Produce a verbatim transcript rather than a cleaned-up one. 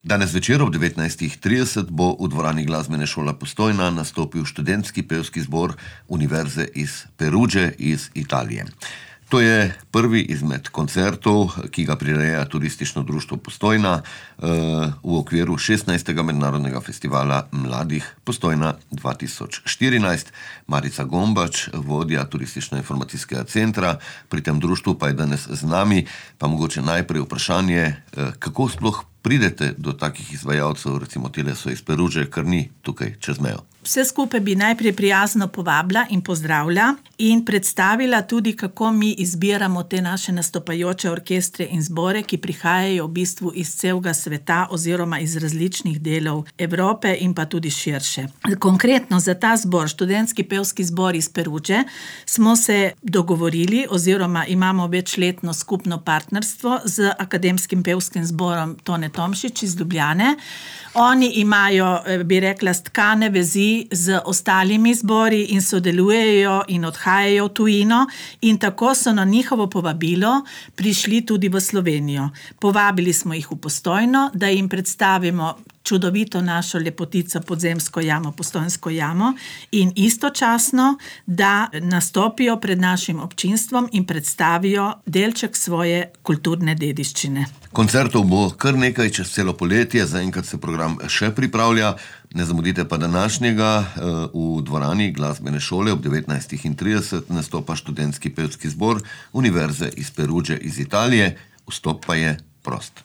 Danes večer ob devetnajstih trideset bo v dvorani Glasbene šole Postojna nastopil študentski pevski zbor Univerze iz Perudže iz Italije. To je prvi izmed koncertov, ki ga prireja Turistično društvo Postojna v okviru šestnajstega mednarodnega festivala mladih Postojna dva tisoč štirinajst. Marica Gombač, vodja Turistično-informacijskega centra, pri tem društvu pa je danes z nami. Pa mogoče najprej vprašanje, kako sploh pridete do takih izvajalcev, recimo tile so iz Perudže, kar ni tukaj čez mejo? Vse skupaj bi najprej prijazno povabila in pozdravila in predstavila tudi, kako mi izbiramo te naše nastopajoče orkestre in zbore, ki prihajajo v bistvu iz celega sveta oziroma iz različnih delov Evrope in pa tudi širše. Konkretno za ta zbor, študentski pevski zbor iz Perudže, smo se dogovorili oziroma imamo večletno skupno partnerstvo z Akademskim pevskim zborom Tone Tomšič iz Ljubljane. Oni imajo, bi rekla, stkane vezi z ostalimi zbori in sodelujejo in odhajajo v tujino in tako so na njihovo povabilo prišli tudi v Slovenijo. Povabili smo jih v Postojno, da jim predstavimo čudovito našo lepotico Podzemsko jamo, Postojnsko jamo in istočasno, da nastopijo pred našim občinstvom in predstavijo delček svoje kulturne dediščine. Koncertov bo kar nekaj čez celo poletje, zaenkrat se program še pripravlja. Ne zamudite pa današnjega. V dvorani Glasbene šole ob devetnajstih trideset nastopa študentski pevski zbor Univerze iz Perudže iz Italije. Vstop pa je prost.